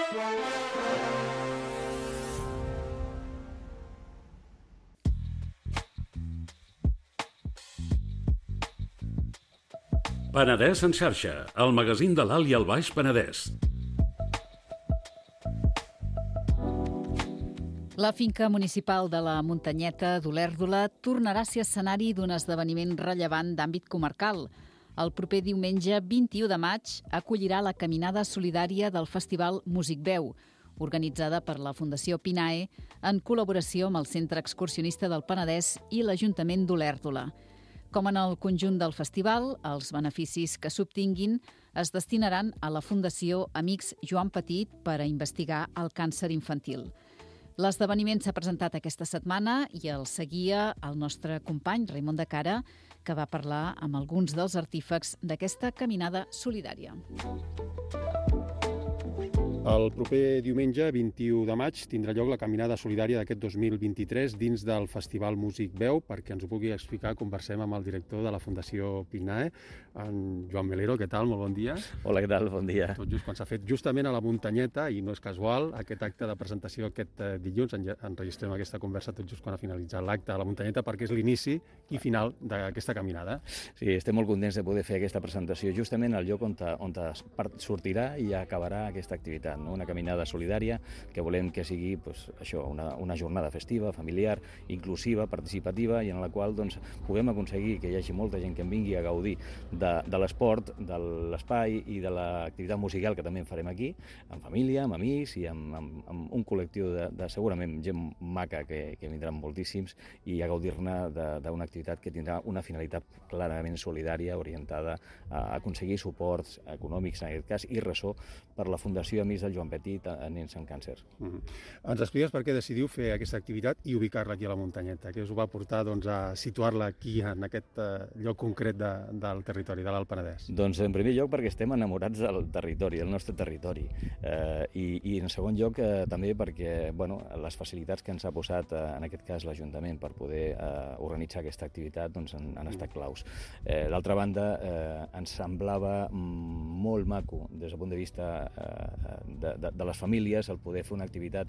Penedès en xarxa, el magazín de l'Alt i el Baix Penedès. La finca municipal de la Muntanyeta d'Olèrdola tornarà a ser escenari d'un esdeveniment rellevant d'àmbit comarcal. El proper diumenge 21 de maig acollirà la caminada solidària del Festival Músic Veu, organitzada per la Fundació Pinae en col·laboració amb el Centre Excursionista del Penedès i l'Ajuntament d'Olèrdola. Com en el conjunt del festival, els beneficis que s'obtinguin es destinaran a la Fundació Amics Joan Petit per a investigar el càncer infantil. L'esdeveniment s'ha presentat aquesta setmana i el seguia el nostre company Raimon de Cara, que va parlar amb alguns dels artífecs d'aquesta caminada solidària. El proper diumenge, 21 de maig, tindrà lloc la caminada solidària d'aquest 2023 dins del Festival Músic Veu. Perquè ens ho pugui explicar, conversem amb el director de la Fundació Pinae, en Joan Melero. Què tal? Molt bon dia. Hola, què tal? Bon dia. Tot just quan s'ha fet justament a la Muntanyeta, i no és casual, aquest acte de presentació aquest dilluns, enregistrem aquesta conversa tot just quan ha finalitzat l'acte a la Muntanyeta, perquè és l'inici i final d'aquesta caminada. Sí, estem molt contents de poder fer aquesta presentació justament al lloc on sortirà i acabarà aquesta activitat, no? Una caminada solidària que volem que sigui una jornada festiva, familiar, inclusiva, participativa, i en la qual puguem aconseguir que hi hagi molta gent que en vingui a gaudir de l'esport, de l'espai i de l'activitat musical que també en farem aquí, en família, amb amics i amb un col·lectiu de segurament gent maca que vindran moltíssims, i a gaudir-ne d'una activitat que tindrà una finalitat clarament solidària orientada a aconseguir suports econòmics en aquest cas i ressò per la Fundació Amics del Joan Petit a nens amb càncer. Ens expliques per què decidiu fer aquesta activitat i ubicar-la aquí a la Muntanyeta? Què us va portar a situar-la aquí, en aquest lloc concret del territori de l'Alt Penedès? Doncs en primer lloc perquè estem enamorats del territori, del nostre territori, i en segon lloc també perquè les facilitats que ens ha posat en aquest cas l'Ajuntament per poder organitzar aquesta activitat han estat claus. D'altra banda, ens semblava molt maco des del punt de vista de les famílies el poder fer una activitat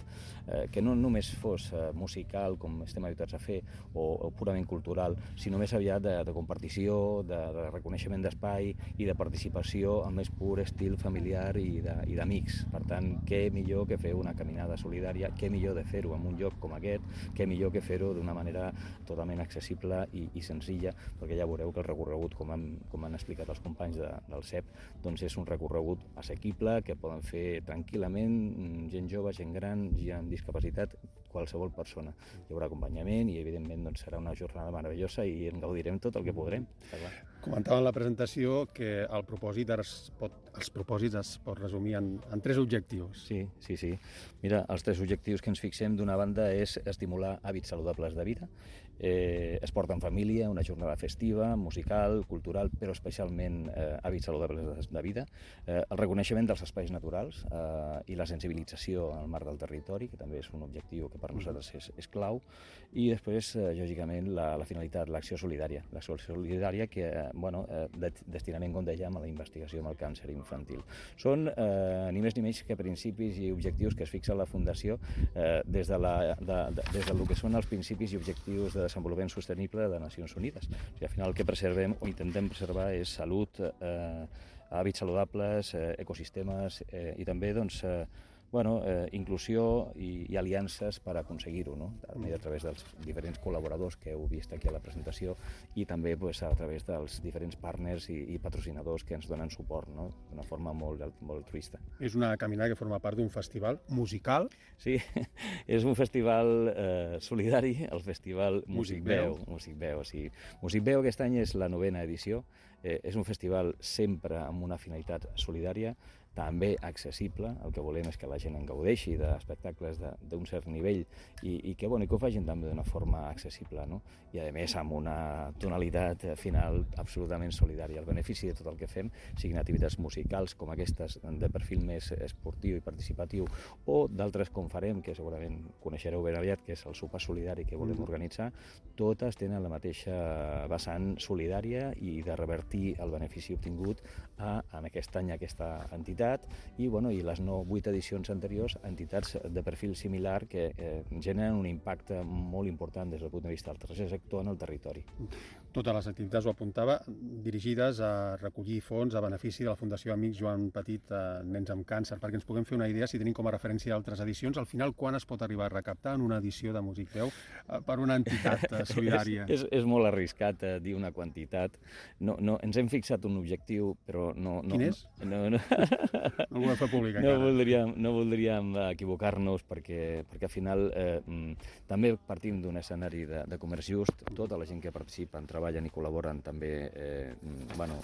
que no només fos musical, com estem habituats a fer, o purament cultural, sinó més aviat de compartició, de reconeixement d'espai i de participació amb més pur estil familiar i d'amics. Per tant, què millor que fer una caminada solidària, què millor de fer-ho en un lloc com aquest, què millor que fer-ho d'una manera totalment accessible i senzilla, perquè ja veureu que el recorregut, com han explicat els companys del CEP, és un recorregut assequible que poden fer tranquil·lament gent jove, gent gran, gent amb discapacitat, qualsevol persona. Hi haurà acompanyament i, evidentment, serà una jornada meravellosa i en gaudirem tot el que podrem. Comentava en la presentació que els propòsits es pot resumir en 3 objectius. Sí. Mira, els 3 objectius que ens fixem, d'una banda, és estimular hàbits saludables de vida, esport en família, una jornada festiva, musical, cultural, però especialment hàbits saludables de vida, el reconeixement dels espais naturals i la sensibilització al marc del territori, que també és un objectiu que per nosaltres és clau, i després, lògicament, la finalitat, l'acció solidària. L'acció solidària que destinament, com dèiem, a la investigació amb el càncer infantil. Són ni més ni menys que principis i objectius que es fixa la Fundació des del que són els principis i objectius de desenvolupament sostenible de Nacions Unides. O sigui, al final el que preservem o intentem preservar és salut, hàbits saludables, ecosistemes i també inclusió i aliances per aconseguir-ho, no? També a través dels diferents col·laboradors que heu vist aquí a la presentació i també a través dels diferents partners i patrocinadors que ens donen suport, no? D'una forma molt altruista. És una caminada que forma part d'un festival musical? Sí, és un festival solidari, el Festival Músic Veu. Músic Veu aquest any és la 9ª edició. És un festival sempre amb una finalitat solidària, també accessible. El que volem és que la gent en gaudeixi d'espectacles d'un cert nivell i que ho facin també d'una forma accessible, no? I a més amb una tonalitat final absolutament solidària. El benefici de tot el que fem, siguin activitats musicals com aquestes de perfil més esportiu i participatiu, o d'altres com farem, que segurament coneixereu ben aviat, que és el sopar solidari que volem organitzar, totes tenen la mateixa vessant solidària i de revertir revertir el benefici obtingut en aquest any a aquesta entitat i les 8 edicions anteriors a entitats de perfil similar que generen un impacte molt important des del punt de vista del tercer sector en el territori. Totes les activitats, ho apuntava, dirigides a recollir fons a benefici de la Fundació Amics Joan Petit, Nens amb Càncer, perquè ens puguem fer una idea, si tenim com a referència altres edicions, al final quan es pot arribar a recaptar en una edició de Músic Veu per una entitat solidària? És molt arriscat dir una quantitat. No, ens hem fixat un objectiu, però no... Quin és? No el volem fer públic encara. No voldríem equivocar-nos perquè al final també partim d'un escenari de comerç just. Tota la gent que participen, treballen i col·laboren també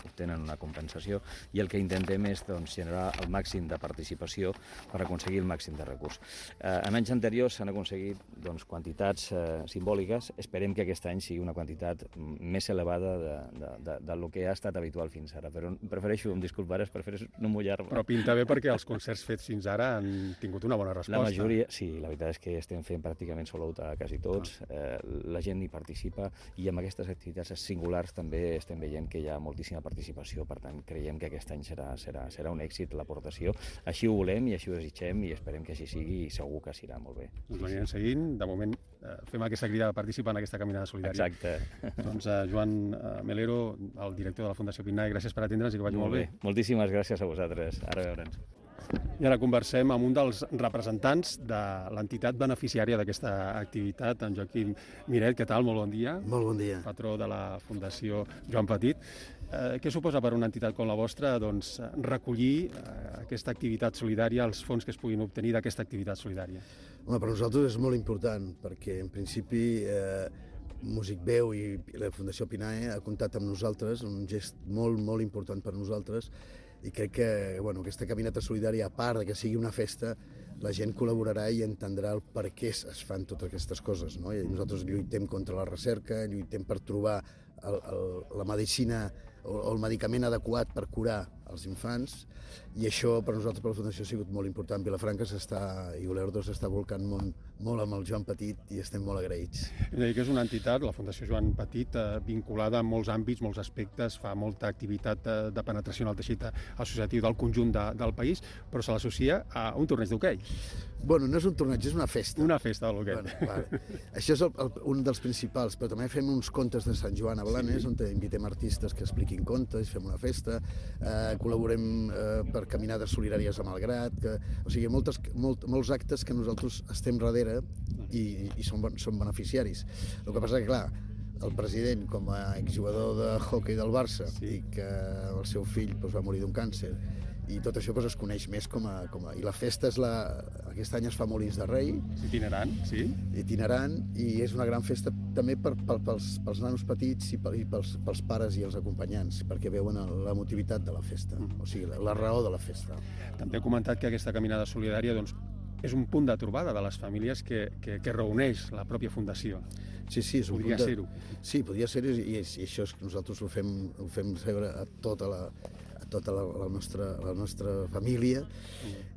obtenen una compensació i el que intentem és generar el màxim de participació per aconseguir el màxim de recurs. En anys anteriors s'han aconseguit quantitats simbòliques. Esperem que aquest any sigui una quantitat més elevada del que ha estat habitual fins ara, però prefereixo no mullar-me. Però pinta bé perquè els concerts fets fins ara han tingut una bona resposta. La majoria, sí, la veritat és que estem fent pràcticament sold out a quasi tots. La gent hi participa i amb aquestes activitats singulars també estem veient que hi ha moltíssima participació, per tant creiem que aquest any serà un èxit l'aportació. Així ho volem i així ho desitgem i esperem que així sigui i segur que s'irà molt bé. Doncs l'anirem seguint. De moment fem aquesta crida de participar en aquesta caminada solidària. Exacte. Doncs Joan Melero, el director de la Fundació Pinnae, gràcies per atendre'ns i que vagi molt bé. Moltíssimes gràcies a vosaltres. Ara veure'ns. I ara conversem amb un dels representants de l'entitat beneficiària d'aquesta activitat, en Joaquim Miret. Què tal? Molt bon dia. Molt bon dia. Patró de la Fundació Joan Petit. Què suposa per una entitat com la vostra recollir aquesta activitat solidària, els fons que es puguin obtenir d'aquesta activitat solidària? Home, per nosaltres és molt important, perquè en principi Músic Veu i la Fundació Pinnae ha comptat amb nosaltres, un gest molt, molt important per nosaltres, i crec que aquesta caminata solidària, a part que sigui una festa, la gent col·laborarà i entendrà el per què es fan totes aquestes coses, no? I nosaltres lluitem contra la recerca, lluitem per trobar la medicina o el medicament adequat per curar els infants, i això per nosaltres, per la Fundació, ha sigut molt important. Vilafranca i Olèrdola s'està volcant molt amb el Joan Petit i estem molt agraïts. És a dir, que és una entitat, la Fundació Joan Petit, vinculada a molts àmbits, molts aspectes, fa molta activitat de penetració en el teixit associatiu del conjunt del país, però se l'associa a un torneig d'hoquei. Bueno, no és un torneig, és una festa. Una festa de l'hoquei. Vale. Això és un dels principals, però també fem uns contes de Sant Joan a Blanes, on invitem artistes que expliquin contes, fem una festa, col·laborem per caminades solidàries a Malgrat, o sigui, molts actes que nosaltres estem darrere i som beneficiaris. El que passa que, clar, el president, com a exjugador de hoquei del Barça, i que el seu fill va morir d'un càncer, i tot això es coneix més com a... I la festa aquest any es fa a Molins de Rei. Itinerant, sí. Itinerant, i és una gran festa també pels nanos petits i pels pares i els acompanyants, perquè veuen l'emotivitat de la festa, o sigui, la raó de la festa. També he comentat que aquesta caminada solidària és un punt de trobada de les famílies que reuneix la pròpia Fundació. Sí, és un podria ser-ho. Sí, podria ser-ho, i això és que nosaltres ho fem saber a tota la nostra família,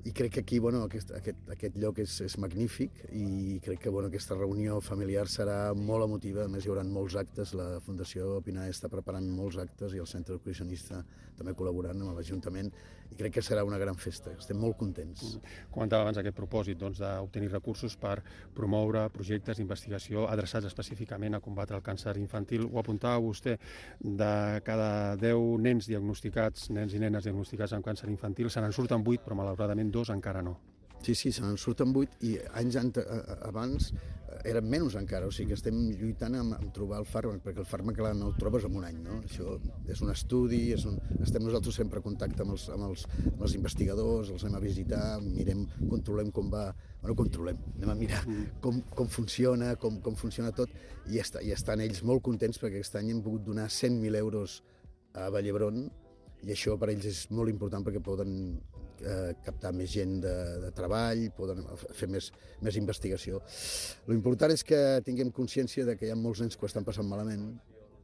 i crec que aquí aquest lloc és magnífic, i crec que aquesta reunió familiar serà molt emotiva. A més, hi haurà molts actes, la Fundació Pinnae està preparant molts actes i el Centre Educacionista també col·laborant amb l'Ajuntament, i crec que serà una gran festa. Estem molt contents. Comentava abans aquest propòsit d'obtenir recursos per promoure projectes d'investigació adreçats específicament a combatre el càncer infantil. Ho apuntava vostè, de cada 10 nens i nenes diagnosticats amb càncer infantil, se n'en surten 8, però malauradament 2 encara no. Sí, se n'en surten 8, i anys abans eren menys encara, o sigui que estem lluitant amb trobar el fàrmac, perquè el fàrmac no el trobes en un any, no? Això és un estudi, estem nosaltres sempre en contacte amb els investigadors, els anem a visitar, mirem, controlem com va, anem a mirar com funciona, com funciona tot, i estan ells molt contents perquè aquest any hem pogut donar 100.000 euros a Vallhebron, i això per ells és molt important perquè poden captar més gent de treball, poden fer més investigació. L'important és que tinguem consciència de que hi ha molts nens que ho estan passant malament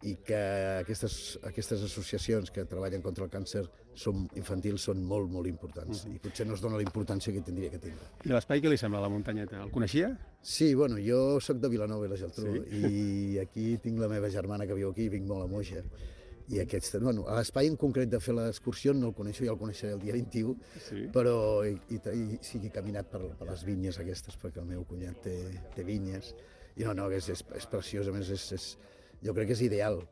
i que aquestes associacions que treballen contra el càncer infantil són molt, molt importants, i potser no es dona la importància que tindria que tindre. I l'espai què li sembla, la muntanyeta? El coneixia? Sí, jo sóc de Vilanova i la Geltrú, i aquí tinc la meva germana que viu aquí, i vinc molt a Moixa. I bueno, l'espai en concret de fer l'excursió no el coneixo, ja el coneixeré el dia 21, Sí. però sí que he caminat per les vinyes aquestes, perquè el meu cunyat té vinyes, i no, és preciós, a més, jo crec que és ideal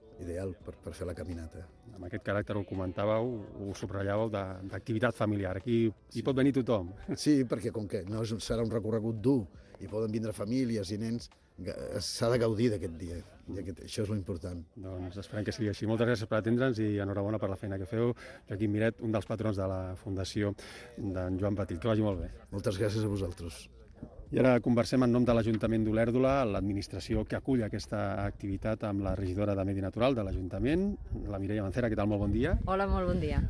per fer la caminata. Amb aquest caràcter ho comentàveu, ho subratllàveu d'activitat familiar. Aquí hi pot venir tothom. Sí, perquè com que no serà un recorregut dur i poden vindre famílies i nens, s'ha de gaudir d'aquest dia, i això és l'important. Doncs esperem que sigui així. Moltes gràcies per atendre'ns i enhorabona per la feina que feu. Joaquim Miret, un dels patrons de la Fundació d'en Joan Petit. Que vagi molt bé. Moltes gràcies a vosaltres. I ara conversem en nom de l'Ajuntament d'Olèrdola, l'administració que acull aquesta activitat amb la regidora de Medi Natural de l'Ajuntament, la Mireia Mancera. Què tal? Molt bon dia. Hola, molt bon dia.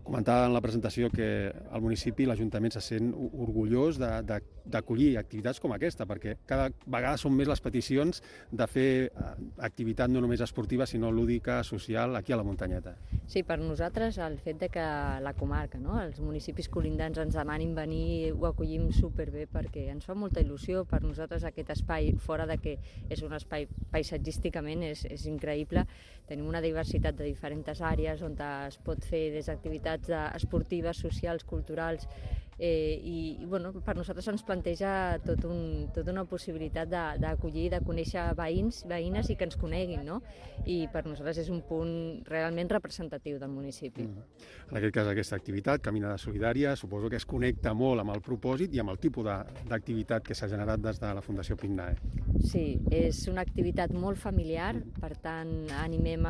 Comentava en la presentació que el municipi, l'Ajuntament, se sent orgullós d'acollir activitats com aquesta, perquè cada vegada són més les peticions de fer activitat no només esportiva, sinó lúdica, social, aquí a la muntanyeta. Sí, per nosaltres el fet de que la comarca, no, els municipis colindants ens demanin venir, ho acollim superbé perquè ens fa molta il·lusió. Per nosaltres aquest espai, fora de que és un espai paisatgísticament, és increïble. Tenim una diversitat de diferents àrees on es pot fer des d'activitats esportives, socials, culturals, i bueno, per nosaltres ens planteja tota una possibilitat d'acollir, de conèixer veïns, veïnes i que ens coneguin, no? I per nosaltres és un punt realment representatiu del municipi. En aquest cas, aquesta activitat, Caminada Solidària, suposo que es connecta molt amb el propòsit i amb el tipus d'activitat que s'ha generat des de la Fundació PICNAE. Sí, és una activitat molt familiar, per tant animem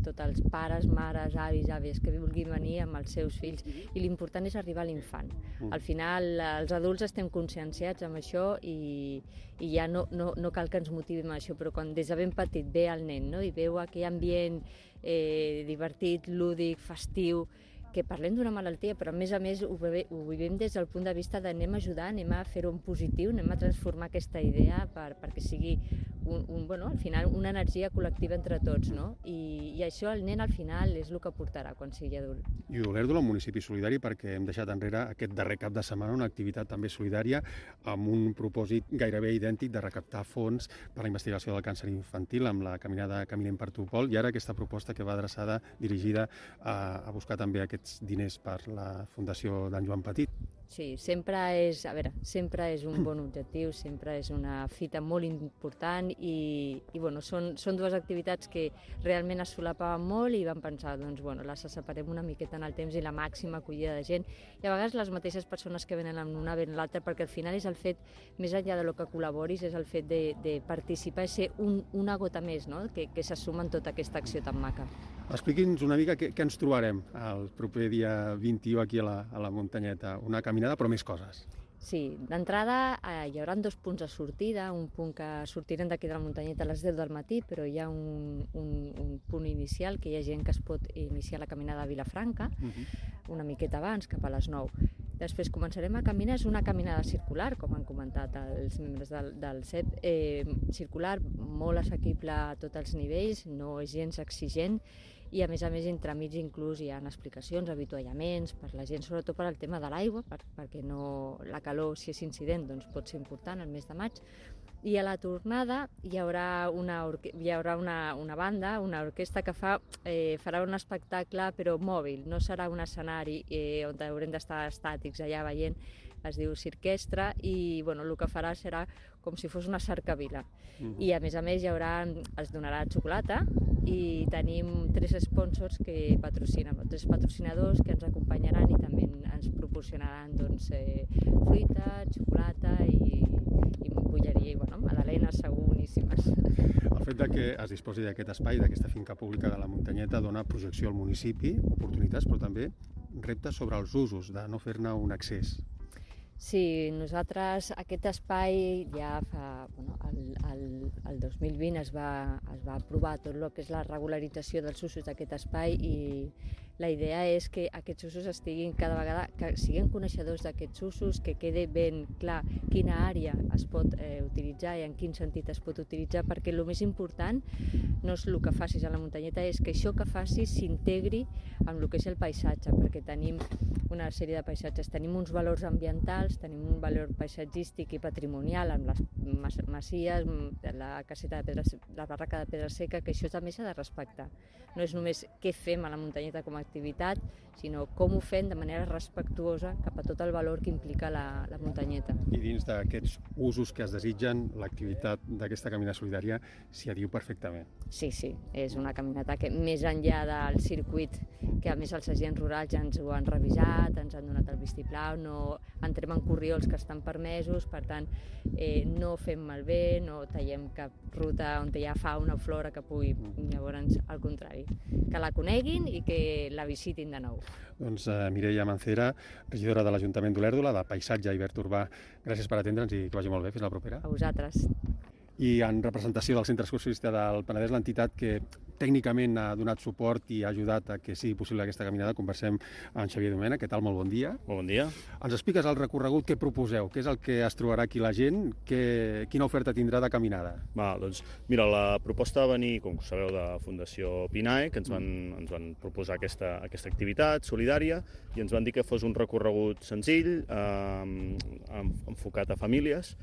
tots els pares, mares, avis, àvies que vulguin venir amb els seus fills, i l'important és arribar a l'infant. Al final els adults estem conscienciats amb això i ja no cal que ens motivem a això, però quan des de ben petit ve el nen, no? I veu aquell ambient divertit, lúdic, festiu, que parlem d'una malaltia, però a més ho vivim des del punt de vista d'anem a ajudar, anem a fer-ho en positiu, anem a transformar aquesta idea perquè sigui al final una energia col·lectiva entre tots, no? I això el nen al final és el que portarà quan sigui adult. I Olèrdola, un municipi solidari, perquè hem deixat enrere aquest darrer cap de setmana una activitat també solidària amb un propòsit gairebé idèntic de recaptar fons per a la investigació del càncer infantil amb la caminada Caminem per Topol, i ara aquesta proposta que va adreçada, dirigida a buscar també aquests diners per la Fundació d'en Joan Petit. Sí, sempre és un bon objectiu, sempre és una fita molt important i bueno, són dues activitats que realment es solapaven molt i vam pensar, les separem una miqueta en el temps i la màxima acollida de gent, i a vegades les mateixes persones que venen amb una ven l'altra, perquè al final és el fet, més enllà de lo que col·laboris, és el fet de participar i ser una gota més, no? que se suma en tota aquesta acció tan maca. Expliqui'ns una mica què ens trobarem el proper dia 21 aquí a la muntanyeta. Una caminada, però més coses. Sí, d'entrada hi haurà 2 punts de sortida, un punt que sortirem d'aquí de la muntanyeta a les 10 del matí, però hi ha un punt inicial, que hi ha gent que es pot iniciar la caminada a Vilafranca, una miqueta abans, cap a les 9. Després començarem a caminar, és una caminada circular, com han comentat els membres del CEP, circular, molt assequible a tots els nivells, no és gens exigent, i a més entremig inclús hi ha explicacions, avituallaments per la gent, sobretot per al tema de l'aigua, perquè la calor, si és incident, pot ser important el mes de maig. I a la tornada hi haurà una banda, una orquestra que farà un espectacle però mòbil, no serà un escenari on haurem d'estar estàtics allà veient, es diu Cirquestra, i el que farà serà com si fos una cercavila. I a més es donarà xocolata i tenim 3 sponsors que patrocinen, 3 patrocinadors que ens acompanyaran i també ens proporcionaran fruita, xocolata i bolleria, magdalenes segur boníssimes. El fet que es disposi d'aquest espai, d'aquesta finca pública de la muntanyeta, dona projecció al municipi, oportunitats, però també reptes sobre els usos, de no fer-ne un excés. Sí, nosaltres aquest espai ja fa, el 2020 es va aprovar tot el que és la regularització dels usos d'aquest espai i la idea és que aquests usos estiguin cada vegada, que siguin coneixedors d'aquests usos, que quede ben clar quina àrea es pot utilitzar i en quin sentit es pot utilitzar, perquè el més important no és el que facis a la muntanyeta, és que això que facis s'integri amb el que és el paisatge, perquè tenim una sèrie de paisatges, tenim uns valors ambientals, tenim un valor paisatgístic i patrimonial amb les masies, la caseta de pedra, la barraca de pedra seca, que això també s'ha de respectar. No és només què fem a la muntanyeta com a activitat, sinó com ho fem de manera respectuosa cap a tot el valor que implica la muntanyeta. I dins d'aquests usos que es desitgen, l'activitat d'aquesta caminada solidària s'hi adiu perfectament. Sí, és una caminata que més enllà del circuit, que a més els agents rurals ja ens ho han revisat, ens han donat el vistiplau, no entrem en corriols que estan permesos, per tant no fem malbé, no tallem cap ruta on hi ha fauna o flora que pugui, llavors al contrari, que la coneguin i que la visitin de nou. Doncs Mireia Mancera, regidora de l'Ajuntament d'Olèrdola, de Paisatge i Verd Urbà, gràcies per atendre'ns i que vagi molt bé. Fins la propera. A vosaltres. I en representació del Centre Excursionista del Penedès, l'entitat que tècnicament ha donat suport i ha ajudat a que sigui possible aquesta caminada, conversem amb Xavier Domènech. Què tal? Molt bon dia. Molt bon dia. Ens expliques el recorregut que proposeu, què és el que es trobarà aquí la gent, quina oferta tindrà de caminada? Doncs mira, la proposta va venir, com sabeu, de Fundació PINAE, que ens van proposar aquesta activitat solidària i ens van dir que fos un recorregut senzill, enfocat a famílies,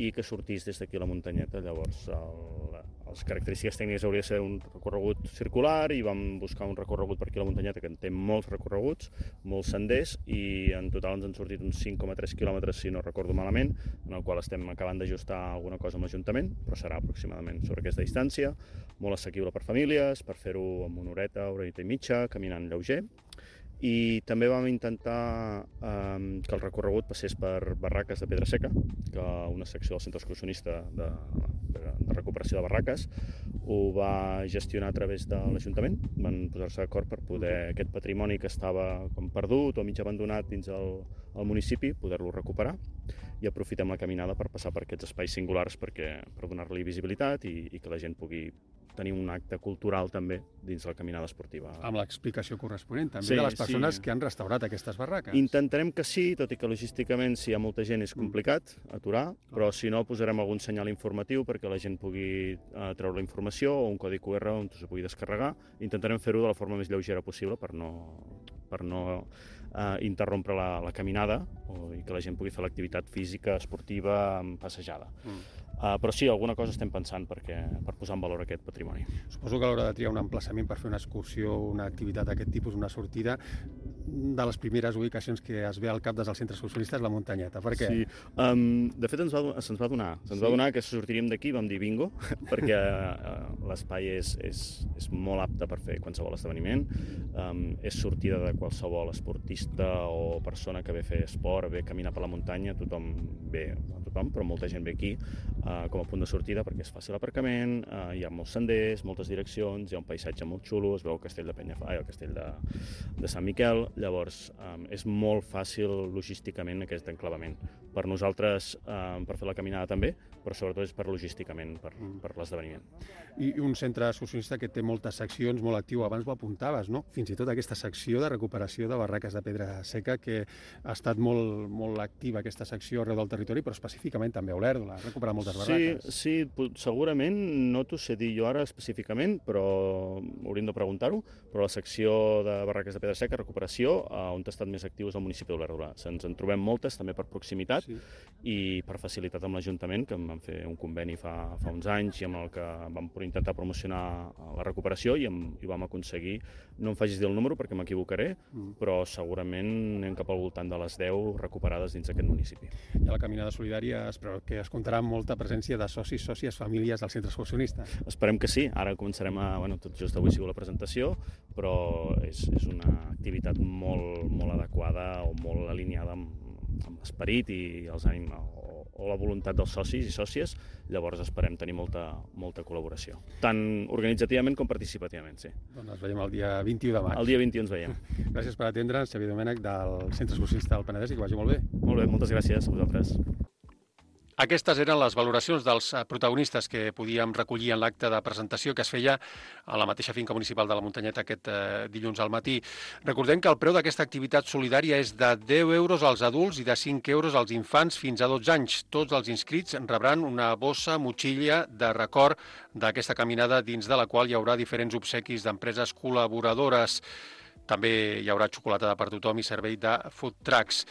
i que sortís des d'aquí a la muntanyeta. Llavors, les característiques tècniques hauria de ser un recorregut circular i vam buscar un recorregut per aquí a la muntanyeta que en té molts recorreguts, molts senders, i en total ens han sortit uns 5,3 quilòmetres, si no recordo malament, en el qual estem acabant d'ajustar alguna cosa amb l'Ajuntament, però serà aproximadament sobre aquesta distància, molt assequible per famílies, per fer-ho en una horeta i mitja, caminant lleuger. I també vam intentar que el recorregut passés per barraques de pedra seca, que una secció del Centre Excursionista de recuperació de barraques ho va gestionar a través de l'Ajuntament. Van posar-se d'acord per poder aquest patrimoni que estava com perdut o mig abandonat dins el municipi, poder-lo recuperar, i aprofitem la caminada per passar per aquests espais singulars per donar-li visibilitat i que la gent pugui tenir un acte cultural també dins la caminada esportiva. Amb l'explicació corresponent també de les persones que han restaurat aquestes barraques. Intentarem que sí, tot i que logísticament, si hi ha molta gent, és complicat aturar, però si no, posarem algun senyal informatiu perquè la gent pugui treure la informació o un codi QR on s'ho pugui descarregar. Intentarem fer-ho de la forma més lleugera possible per no interrompre la caminada i que la gent pugui fer l'activitat física, esportiva, passejada. Però sí, alguna cosa estem pensant per posar en valor aquest patrimoni. Suposo que a l'hora de triar un emplaçament per fer una excursió, una activitat d'aquest tipus, una sortida, de les primeres ubicacions que es ve al cap des del centre excursionista és la muntanyeta. Per què? Sí, de fet se'ns va donar que sortiríem d'aquí, vam dir bingo, perquè l'espai és molt apte per fer qualsevol esdeveniment, és sortida de qualsevol esportista o persona que ve a fer esport, ve a caminar per la muntanya, tothom, però molta gent ve aquí com a punt de sortida perquè és fàcil l'aparcament, hi ha molts senders, moltes direccions, hi ha un paisatge molt xulo, es veu el castell el castell de Sant Miquel, llavors és molt fàcil logísticament aquest enclavament. Per nosaltres, per fer la caminada també, però sobretot és per logísticament, per l'esdeveniment. I un centre excursionista que té moltes seccions, molt actiu, abans ho apuntaves, no? Fins i tot aquesta secció de recuperació de barraques de pedra seca, que ha estat molt activa aquesta secció arreu del territori, però específicament també a Olèrdola, ha recuperat moltes barraques. Sí, segurament, no t'ho sé dir jo ara específicament, però hauríem de preguntar-ho, però la secció de barraques de pedra seca, recuperació, on ha estat més actiu és el municipi d'Olèrdola. Ens en trobem moltes, també per proximitat i per facilitat amb l'Ajuntament, que vam fer un conveni fa uns anys i amb el que vam intentar promocionar la recuperació i vam aconseguir, no em facis dir el número perquè m'equivocaré, però segurament anem cap al voltant de les 10 recuperades dins d'aquest municipi. I a la caminada solidària es preveu que es comptarà amb molta presència de socis, sòcies, famílies del centre excursionista. Esperem que sí, ara començarem tot just avui ha sigut la presentació, però és una activitat molt adequada o molt alineada amb l'esperit i els ànims o la voluntat dels socis i sòcies, llavors esperem tenir molta col·laboració, tant organitzativament com participativament, sí. Doncs ens veiem el dia 21 de maig. El dia 21 ens veiem. Gràcies per atendre'ns, Xavier Domènech, del Centre Excursionista del Penedès, i que vagi molt bé. Molt bé, moltes gràcies a vosaltres. Aquestes eren les valoracions dels protagonistes que podíem recollir en l'acte de presentació que es feia a la mateixa finca municipal de la Muntanyeta aquest dilluns al matí. Recordem que el preu d'aquesta activitat solidària és de 10 euros als adults i de 5 euros als infants fins a 12 anys. Tots els inscrits rebran una bossa, motxilla de record d'aquesta caminada dins de la qual hi haurà diferents obsequis d'empreses col·laboradores. També hi haurà xocolatada per tothom i servei de food trucks.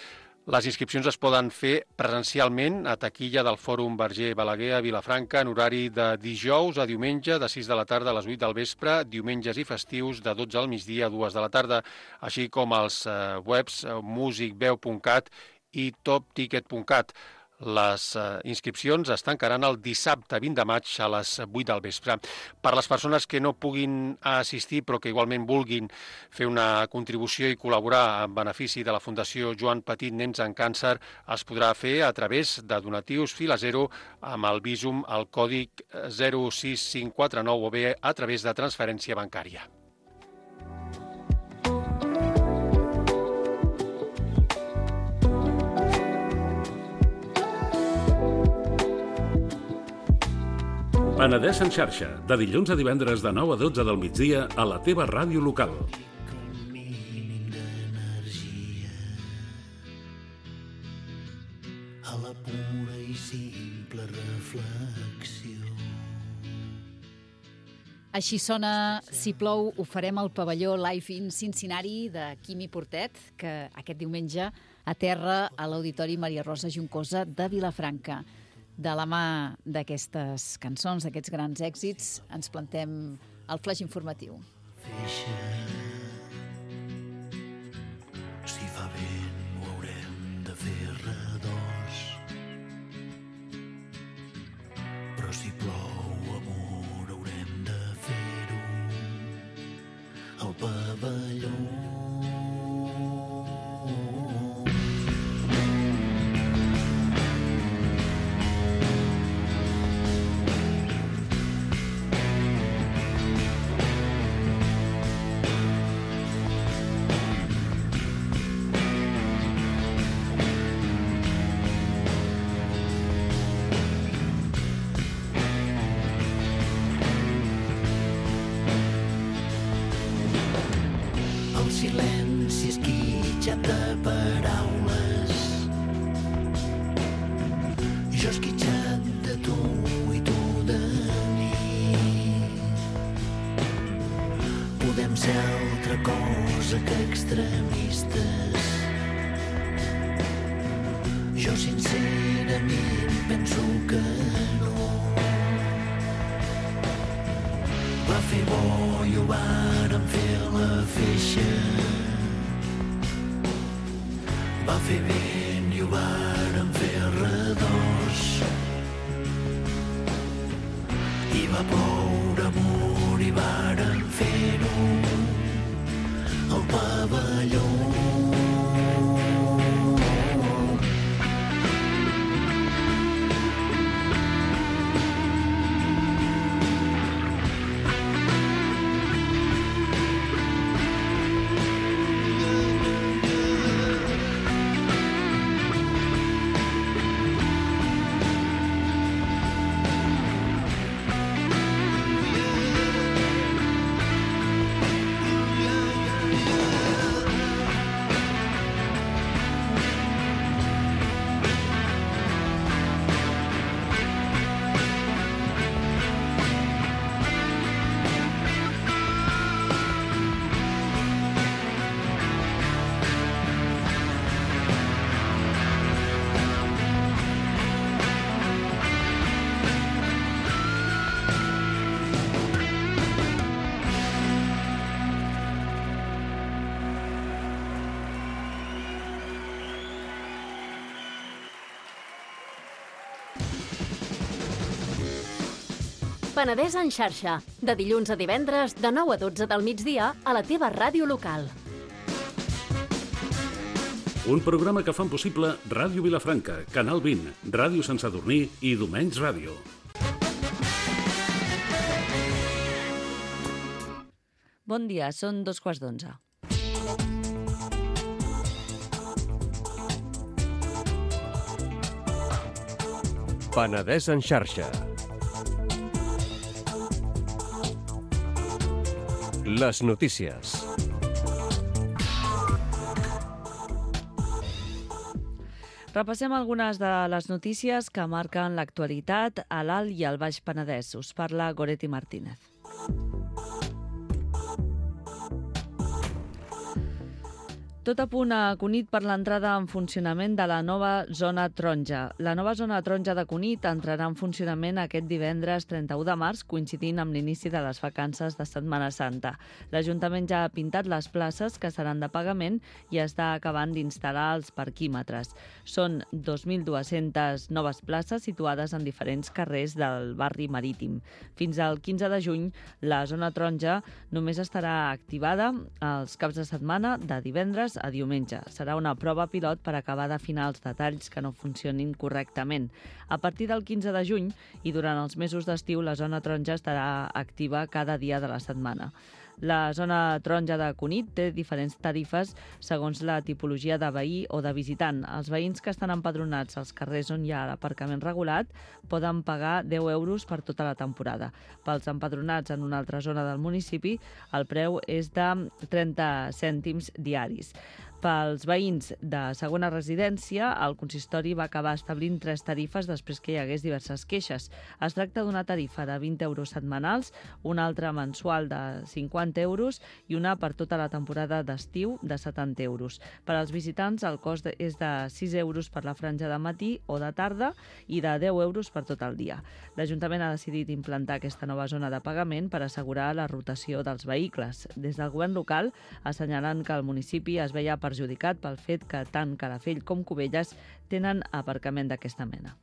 Les inscripcions es poden fer presencialment a taquilla del Fòrum Verger Balaguer a Vilafranca en horari de dijous a diumenge de 6 de la tarda a les 8 del vespre, diumenges i festius de 12 al migdia a 2 de la tarda, així com als webs musicveu.cat i topticket.cat. Les inscripcions es tancaran el dissabte 20 de maig a les 8 del vespre. Per les persones que no puguin assistir però que igualment vulguin fer una contribució i col·laborar en benefici de la Fundació Joan Petit Nens en Càncer, es podrà fer a través de donatius fila zero amb el Bizum al còdic 06549 o bé a través de transferència bancària. Penedès en xarxa, de dilluns a divendres de 9 a 12 del migdia a la teva ràdio local. A la pura i simple reflexió. Així sona Si plou, ho farem al pavelló Live in Cincinnati de Quimi Portet, que aquest diumenge aterra a l'Auditori Maria Rosa Juncosa de Vilafranca. De la mà d'aquestes cançons, d'aquests grans èxits, ens plantem el flaix informatiu. Si fa vent ho haurem de fer redós, però si plou amor haurem de fer-ho al pavelló. Silenci esquitxat de paraules, jo esquitxat de tu i tu de mi. Podem ser altra cosa que extremistes. Jo sincerament penso que no. Va fer bo i ho vàrem fer la feixa. Va fer vent i ho vàrem fer redós. I va ploure amor i vàrem fer-ho al pavelló. Penedès en xarxa, de dilluns a divendres de 9 a 12 del migdia a la teva ràdio local. Un programa que fan possible Ràdio Vilafranca, Canal 20, Ràdio Sant Sadurní i Domenys Ràdio. Bon dia, són 2:15. Penedès en xarxa. Les notícies. Repassem algunes de les notícies que marquen l'actualitat a l'Alt i al Baix Penedès. Us parla Goretti Martínez. Tot a punt a Cunit per l'entrada en funcionament de la nova zona taronja. La nova zona taronja de Cunit entrarà en funcionament aquest divendres 31 de març, coincidint amb l'inici de les vacances de Setmana Santa. L'Ajuntament ja ha pintat les places que seran de pagament i està acabant d'instal·lar els parquímetres. Són 2.200 noves places situades en diferents carrers del barri marítim. Fins al 15 de juny, la zona taronja només estarà activada els caps de setmana de divendres a diumenge. Serà una prova pilot per acabar d'afinar els detalls que no funcionin correctament. A partir del 15 de juny i durant els mesos d'estiu, la zona taronja estarà activa cada dia de la setmana. La zona taronja de Cunit té diferents tarifes segons la tipologia de veí o de visitant. Els veïns que estan empadronats als carrers on hi ha l'aparcament regulat poden pagar 10 euros per tota la temporada. Pels empadronats en una altra zona del municipi, el preu és de 30 cèntims diaris. Pels veïns de segona residència, el consistori va acabar establint 3 tarifes després que hi hagués diverses queixes. Es tracta d'una tarifa de 20 euros setmanals, una altra mensual de 50 euros i una per tota la temporada d'estiu de 70 euros. Per als visitants, el cost és de 6 euros per la franja de matí o de tarda i de 10 euros per tot el dia. L'Ajuntament ha decidit implantar aquesta nova zona de pagament per assegurar la rotació dels vehicles. Des del govern local assenyalen que el municipi es veia perjudicat pel fet que tant Calafell com Cubelles tenen aparcament d'aquesta mena.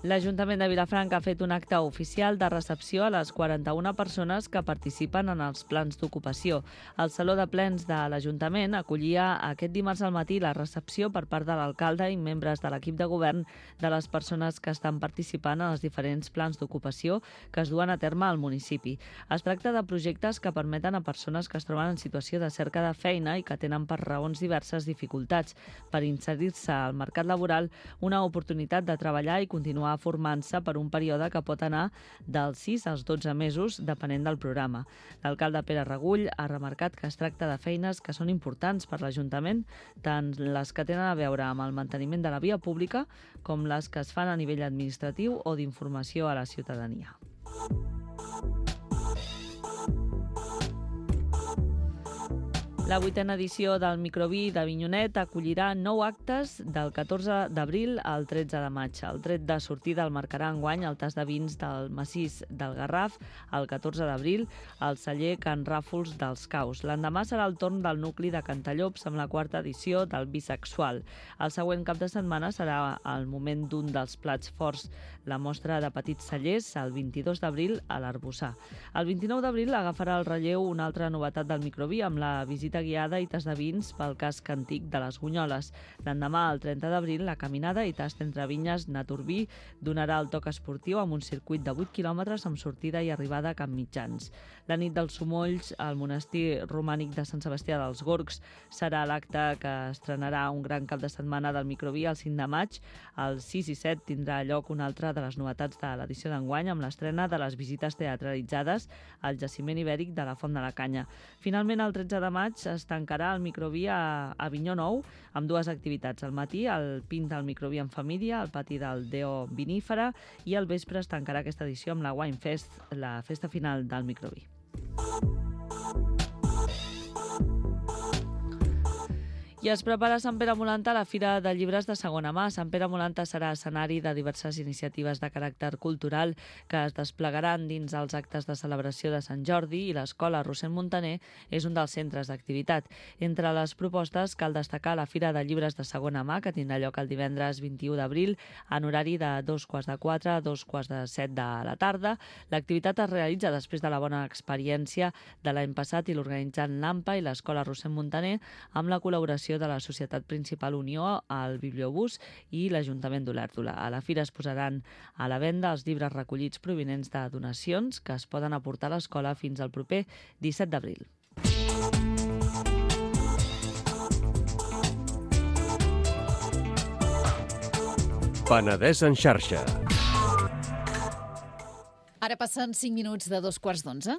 L'Ajuntament de Vilafranca ha fet un acte oficial de recepció a les 41 persones que participen en els plans d'ocupació. El Saló de Plens de l'Ajuntament acollia aquest dimarts al matí la recepció per part de l'alcalde i membres de l'equip de govern de les persones que estan participant en els diferents plans d'ocupació que es duen a terme al municipi. Es tracta de projectes que permeten a persones que es troben en situació de cerca de feina i que tenen per raons diverses dificultats per inserir-se al mercat laboral una oportunitat de treballar i continuar formant-se per un període que pot anar dels 6 als 12 mesos, depenent del programa. L'alcalde Pere Regull ha remarcat que es tracta de feines que són importants per l'Ajuntament, tant les que tenen a veure amb el manteniment de la via pública com les que es fan a nivell administratiu o d'informació a la ciutadania. La 8a edició del Microví d'Avinyonet acollirà 9 actes del 14 d'abril al 13 de maig. El tret de sortida el marcarà enguany el tas de vins del Massís del Garraf el 14 d'abril al celler Can Ràfols dels Caus. L'endemà serà el torn del nucli de Cantallops amb la 4a edició del Bisexual. El següent cap de setmana serà el moment d'un dels plats forts, la mostra de petits cellers, el 22 d'abril a l'Arbossar. El 29 d'abril agafarà el relleu una altra novetat del Microví amb la visita guiada i tas de vins pel casc antic de les Gunyoles. L'endemà, el 30 d'abril, la caminada i tast entre vinyes Naturbí donarà el toc esportiu amb un circuit de 8 quilòmetres amb sortida i arribada a Camp Mitjans. La nit dels Somolls, al monestir romànic de Sant Sebastià dels Gorgs, serà l'acte que estrenarà un gran cap de setmana del Microví el 5 de maig. El 6 i 7 tindrà lloc una altra de les novetats de l'edició d'enguany amb l'estrena de les visites teatralitzades al jaciment ibèric de la Font de la Canya. Finalment, el 13 de maig es tancarà el Microví a Avinyó Nou amb 2 activitats. Al matí, el pint del Microví en família, al pati del Deo Vinífera, i al vespre es tancarà aquesta edició amb la Wine Fest, la festa final del Microví. I es prepara Sant Pere Molanta a la Fira de Llibres de segona mà. Sant Pere Molanta serà escenari de diverses iniciatives de caràcter cultural que es desplegaran dins els actes de celebració de Sant Jordi i l'escola Rossend Montaner és un dels centres d'activitat. Entre les propostes cal destacar la Fira de Llibres de segona mà que tindrà lloc el divendres 21 d'abril en horari de 2:15 a 2:17 de la tarda. L'activitat es realitza després de la bona experiència de l'any passat i l'organitzant l'AMPA i l'escola Rossend Montaner amb la col·laboració de la Societat Principal Unió, el Bibliobús i l'Ajuntament d'Olèrdola. A la fira es posaran a la venda els llibres recollits provinents de donacions que es poden aportar a l'escola fins al proper 17 d'abril. Penedès en xarxa. Ara passen 5 minuts de 2:15.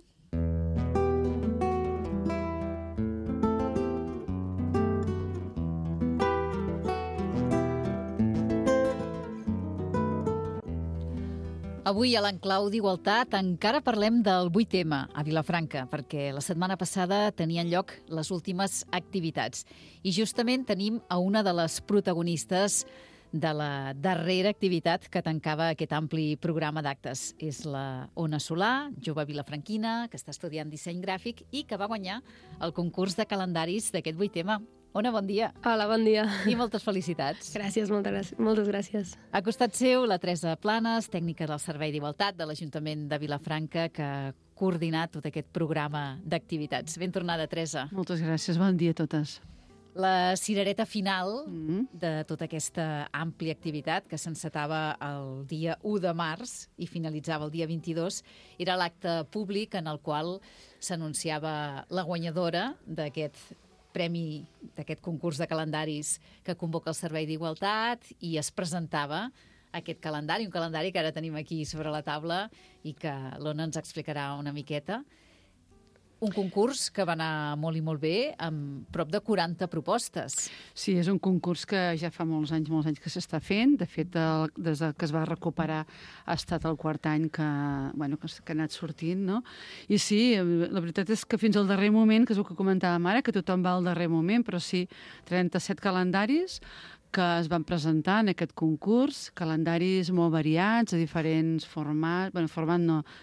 Avui a l'Enclau d'Igualtat encara parlem del 8M a Vilafranca, perquè la setmana passada tenien lloc les últimes activitats. I justament tenim a una de les protagonistes de la darrera activitat que tancava aquest ampli programa d'actes. És la Ona Solà, jove vilafranquina, que està estudiant disseny gràfic i que va guanyar el concurs de calendaris d'aquest 8M. Ona, bon dia. Hola, bon dia. I moltes felicitats. Gràcies, moltes gràcies. A costat seu, la Teresa Planes, tècnica del Servei d'Igualtat de l'Ajuntament de Vilafranca, que ha coordinat tot aquest programa d'activitats. Ben tornada, Teresa. Moltes gràcies, bon dia a totes. La cirereta final de tota aquesta àmplia activitat que s'encetava el dia 1 de març i finalitzava el dia 22 era l'acte públic en el qual s'anunciava la guanyadora d'aquest premi, d'aquest concurs de calendaris que convoca el Servei d'Igualtat, i es presentava aquest calendari, un calendari que ara tenim aquí sobre la taula i que l'Ona ens explicarà una miqueta. Un concurs que va anar molt i molt bé, amb prop de 40 propostes. Sí, és un concurs que ja fa molts anys que s'està fent. De fet, des que es va recuperar ha estat el quart any que ha anat sortint, no? I sí, la veritat és que fins al darrer moment, que és el que comentàvem ara, que tothom va al darrer moment, però sí, 37 calendaris que es van presentar en aquest concurs, calendaris molt variats, de diferents formats,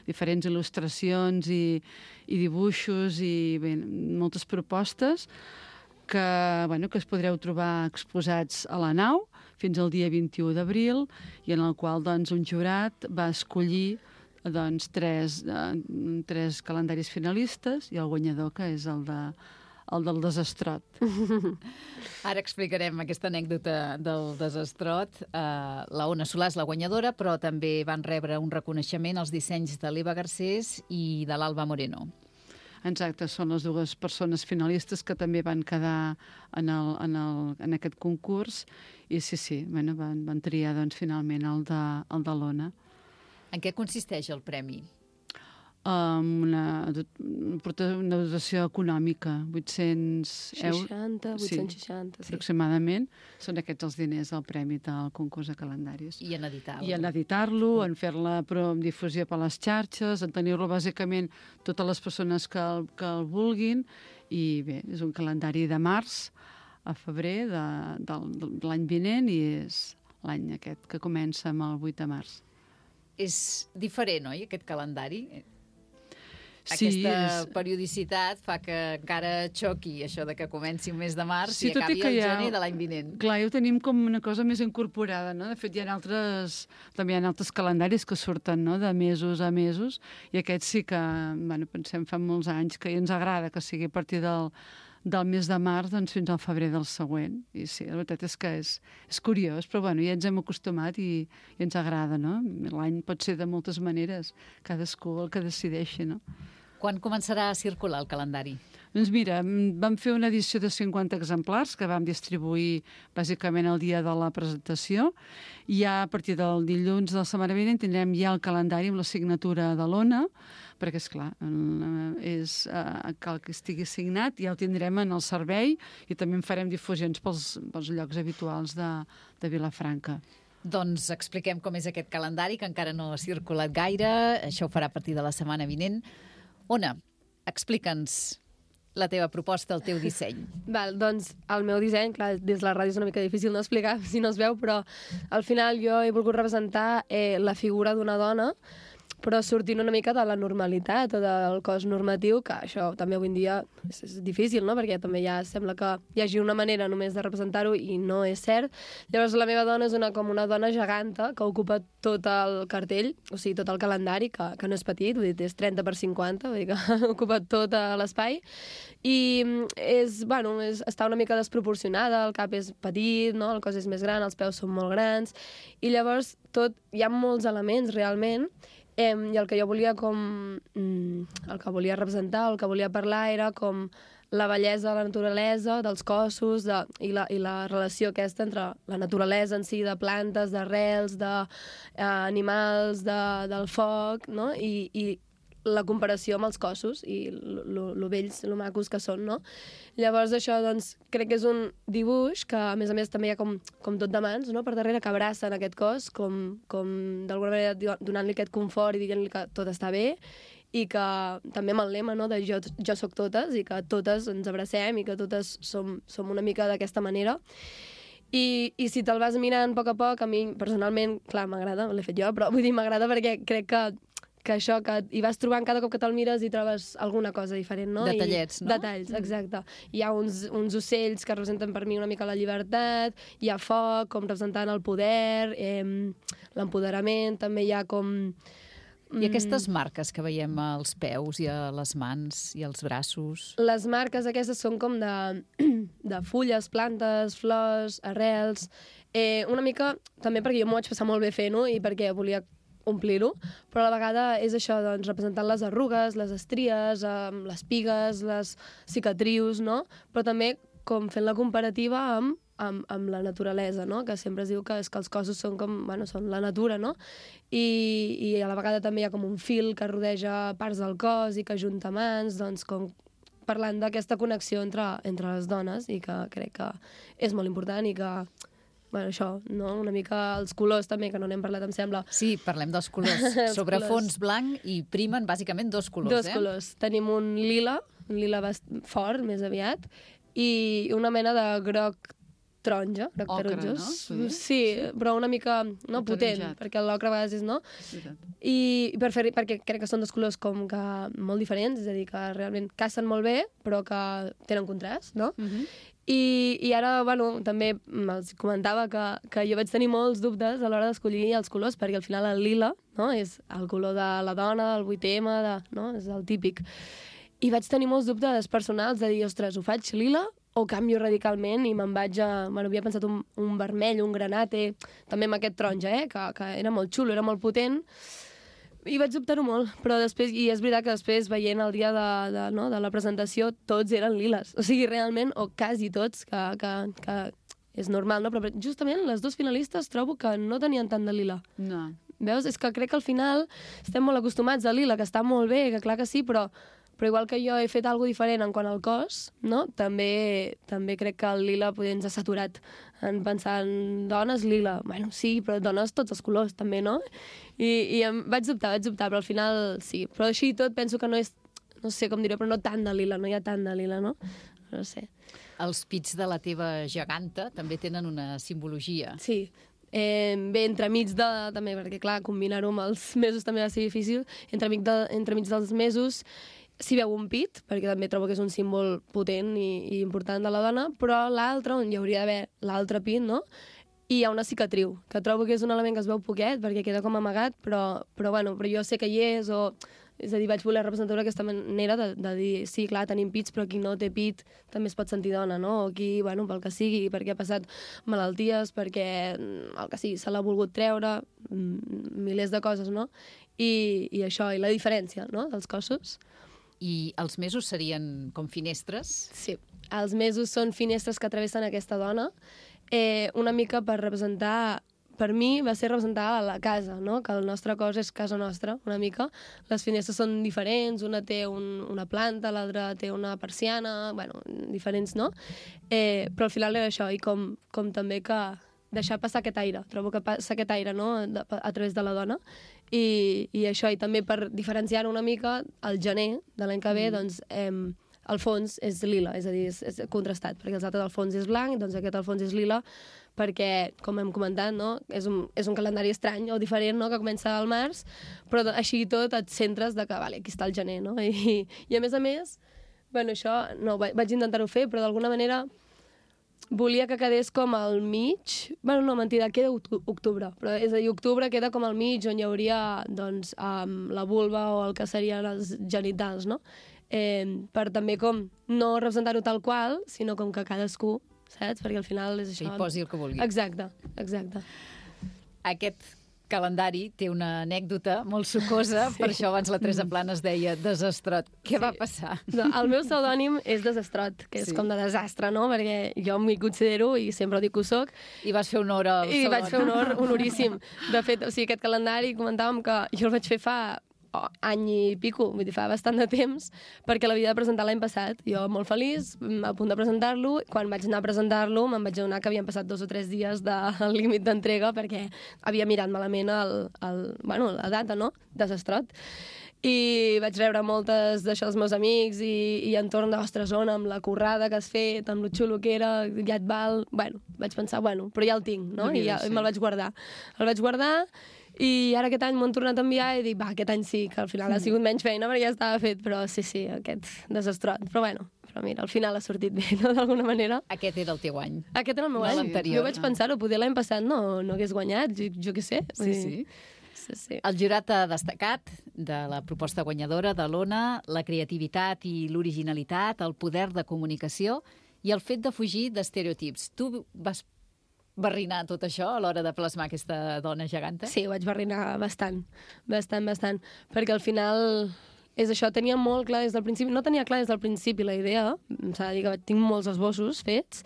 diferents il·lustracions i dibuixos i moltes propostes que es podreu trobar exposats a la nau fins al dia 21 d'abril i en el qual un jurat va escollir tres calendaris finalistes i el guanyador, que és el del desastrot. Ara explicarem aquesta anècdota del desastrot. La Ona Solà és la guanyadora, però també van rebre un reconeixement als dissenys de l'Eva Garcés i de l'Alba Moreno. Exacte, són les dues persones finalistes que també van quedar en aquest concurs i sí, van triar finalment el de l'Ona. En què consisteix el premi? Una dotació econòmica, 800 euros. 860, sí. Aproximadament. Són aquests els diners del premi del concurs de calendaris. I en editar-lo. I en editar-lo, en fer-la difusió per les xarxes, en tenir-lo bàsicament totes les persones que el vulguin. I bé, és un calendari de març a febrer de l'any vinent i és l'any aquest que comença amb el 8 de març. És diferent, oi, aquest calendari? Sí, aquesta periodicitat fa que encara xoqui això de que comenci un mes de març i acabi el gener de l'any vinent. Clar, ja ho tenim com una cosa més incorporada, no? De fet, també hi ha altres calendaris que surten, no?, de mesos a mesos, i aquest sí que, pensem fa molts anys que ens agrada que sigui a partir del mes de març fins al febrer del següent. I sí, la veritat és que és curiós, però ja ens hem acostumat i ens agrada, no? L'any pot ser de moltes maneres, cadascú el que decideixi, no? Quan començarà a circular el calendari? Doncs mira, vam fer una edició de 50 exemplars que vam distribuir bàsicament el dia de la presentació. I ja a partir del dilluns de la setmana vinent tindrem ja el calendari amb la signatura de l'Ona, perquè, esclar, cal que estigui signat, ja el tindrem en el servei i també en farem difusions pels llocs habituals de Vilafranca. Doncs expliquem com és aquest calendari, que encara no ha circulat gaire. Això ho farà a partir de la setmana vinent. Ona, explica'ns la teva proposta, el teu disseny. Val, doncs el meu disseny, clar, des de la ràdio és una mica difícil no explicar si no es veu, però al final jo he volgut representar la figura d'una dona, però sortint una mica de la normalitat o del cos normatiu, que això també avui en dia és difícil, no?, perquè també ja sembla que hi hagi una manera només de representar-ho i no és cert. Llavors la meva dona és com una dona geganta que ocupa tot el cartell, o sigui, tot el calendari, que no és petit, vull dir, és 30 per 50, vull dir que ocupa tot l'espai, i està una mica desproporcionada, el cap és petit, no?, el cos és més gran, els peus són molt grans, i llavors hi ha molts elements realment. I el que jo volia el que volia representar, el que volia parlar era com la bellesa de la naturalesa, dels cossos, i la relació aquesta entre la naturalesa en si, de plantes, d'arrels, d'animals, del foc, no? I la comparació amb els cossos i lo bells, lo macos que són, no? Llavors això, doncs, crec que és un dibuix que, a més, també hi ha com tot de mans, no?, per darrere, que abracen aquest cos, com d'alguna manera donant-li aquest confort i dient-li que tot està bé, i que també amb el lema, no?, de jo soc totes, i que totes ens abracem i que totes som una mica d'aquesta manera. I si te'l vas mirant a poc, a mi personalment, clar, m'agrada, l'he fet jo, però vull dir, m'agrada perquè crec que això, que hi vas trobant cada cop que te'l mires i trobes alguna cosa diferent, no? Detallets, no? Detalls, exacte. Hi ha uns ocells que representen per mi una mica la llibertat, hi ha foc, com representant el poder, l'empoderament, també hi ha com... I aquestes marques que veiem als peus i a les mans i als braços? Les marques aquestes són com de fulles, plantes, flors, arrels... Una mica, també perquè jo m'ho vaig passar molt bé fent-ho i perquè volia omplir-ho, però a la vegada és això, doncs, representant les arrugues, les estries, les pigues, les cicatrius, no? Però també com fent la comparativa amb la naturalesa, no? Que sempre es diu que els cossos són com, bueno, són la natura, no? I a la vegada també hi ha com un fil que rodeja parts del cos i que ajunta mans, doncs com parlant d'aquesta connexió entre les dones i que crec que és molt important i que bueno, això, no? Una mica els colors també, que no n'hem parlat, em sembla. Sí, parlem dels colors. Sobre fons blanc i primen bàsicament dos colors, Dos colors. Tenim un lila fort, més aviat, i una mena de groc taronja, groc taronjós. No? Sí, però una mica potent, perquè l'ocre a vegades és, no? I perquè crec que són dos colors com que molt diferents, és a dir, que realment cacen molt bé, però que tenen contrast, no? I ara, bueno, també els comentava que jo vaig tenir molts dubtes a l'hora d'escollir els colors, perquè al final el lila, no?, és el color de la dona, del 8M, no?, és el típic. I vaig tenir molts dubtes personals de dir, ostres, ho faig lila o canvio radicalment i me'n vaig a... Bueno, havia pensat un vermell, un granate, també amb aquest taronja, que era molt xulo, era molt potent. I vaig dubtar-ho molt, però després, i és veritat que després, veient el dia de la presentació, tots eren liles. O sigui, realment, o quasi tots, que és normal, no? Però justament les dos finalistes trobo que no tenien tant de lila. No. Veus? És que crec que al final estem molt acostumats a lila, que està molt bé, que clar que sí, però igual que jo he fet alguna diferent en quant al cos, no? També crec que el lila potser ens ha saturat en pensar en dones lila. Bueno, sí, però dones tots els colors, també, no? I vaig dubtar, però al final sí. Però així i tot penso que no és, no sé com dir-ho, però no tant de lila, no hi ha tant de lila, no? No sé. Els pits de la teva geganta també tenen una simbologia. Sí. Bé, entremig també, perquè clar, combinar-ho amb els mesos també va ser difícil, entremig dels mesos s'hi veu un pit, perquè també trobo que és un símbol potent i important de la dona, però l'altre, on hi hauria d'haver l'altre pit, no?, i hi ha una cicatriu, que trobo que és un element que es veu poquet, perquè queda com amagat, però jo sé que hi és, és a dir, vaig voler representar d'aquesta manera de dir, sí, clar, tenim pits, però qui no té pit també es pot sentir dona, no? O qui, bueno, pel que sigui, perquè ha passat malalties, perquè el que sigui, se l'ha volgut treure, milers de coses, no? I això, i la diferència, no?, dels cossos. I els mesos serien com finestres? Sí, els mesos són finestres que travessen aquesta dona, una mica per representar... Per mi va ser representar la casa, no?, que el nostre cos és casa nostra, una mica. Les finestres són diferents, una té una planta, l'altra té una persiana, bueno, diferents, no? Però al final era això, i com també que deixar passar aquest aire. Trobo que passa aquest aire, no?, a través de la dona. I això, i també per diferenciar una mica, el gener de l'any que ve, doncs, el fons és lila, és a dir, és contrastat, perquè els altres el fons és blanc, doncs aquest el fons és lila, perquè, com hem comentat, no?, és un calendari estrany o diferent, no?, que comença al març, però així i tot et centres de que, vale, aquí està el gener, no? I a més, bueno, això, no, vaig intentar-ho fer, però d'alguna manera volia que quedés com al mig... Bueno, no, mentida, queda octubre, però és a dir, octubre queda com al mig, on hi hauria, doncs, la vulva o el que serien els genitals, no? Per també com no representar-ho tal qual, sinó com que cadascú, saps? Perquè al final és això... Que hi posi el que vulgui. Exacte. Aquest calendari té una anècdota molt sucosa, per això abans la Teresa Planes deia desastrot. Què va passar? El meu pseudònim és Desastrot, que és com de desastre, no? Perquè jo m'hi considero i sempre dic que ho soc. I vas fer honor al pseudònim. I vaig fer honor honoríssim. De fet, aquest calendari comentàvem que jo el vaig fer fa any i pico, vull dir, fa bastant de temps, perquè l'havia de presentar l'any passat. Jo molt feliç, a punt de presentar-lo. Quan vaig anar a presentar-lo me'n vaig adonar que havien passat 2 o 3 dies del límit d'entrega perquè havia mirat malament la data, no? Desastrot. I vaig rebre moltes d'això dels meus amics i entorn d'ostres, Ona, amb la currada que has fet, amb lo xulo que era, ja et val... Bueno, vaig pensar, però ja el tinc, no? I me'l vaig guardar. El vaig guardar i ara aquest any m'ho han tornat a enviar i dic, aquest any sí, que al final ha sigut menys feina perquè ja estava fet, però sí, aquest desastrot. Però mira, al final ha sortit bé, no?, d'alguna manera. Aquest era el teu any. Aquest era el meu any. Jo vaig pensar-ho, poder l'any passat no hagués guanyat, jo què sé. Sí. El jurat ha destacat de la proposta guanyadora de l'Ona la creativitat i l'originalitat, el poder de comunicació i el fet de fugir d'estereotips. Tu vas barrinar tot això a l'hora de plasmar aquesta dona geganta? Sí, ho vaig barrinar bastant, perquè al final és això, tenia molt clar des del principi, no tenia clar des del principi la idea, s'ha de dir que tinc molts esbossos fets,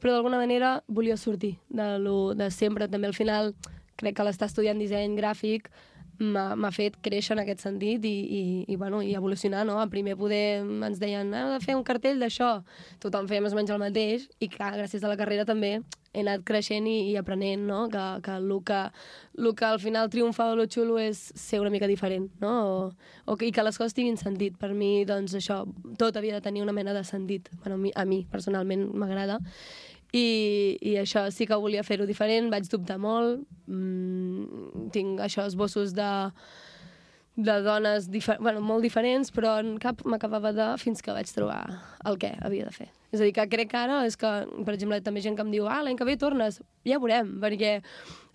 però d'alguna manera volia sortir de sempre, també al final crec que l'estar estudiant disseny gràfic m'ha fet créixer en aquest sentit i evolucionar, no? A primer poder ens deien, hem de fer un cartell d'això, tothom feia més o menys el mateix i clar, gràcies a la carrera també he anat creixent i aprenent, no? Que el que al final triomfa de lo xulo és ser una mica diferent, no? I que les coses tinguin sentit. Per mi, doncs, això, tot havia de tenir una mena de sentit. Bueno, a mi personalment m'agrada. I això sí que volia fer-ho diferent, vaig dubtar molt, tinc això, esbossos de dones molt diferents, però en cap m'acabava fins que vaig trobar el què havia de fer. És a dir, que crec que ara és que, per exemple, també gent que em diu l'any que ve tornes, ja veurem, perquè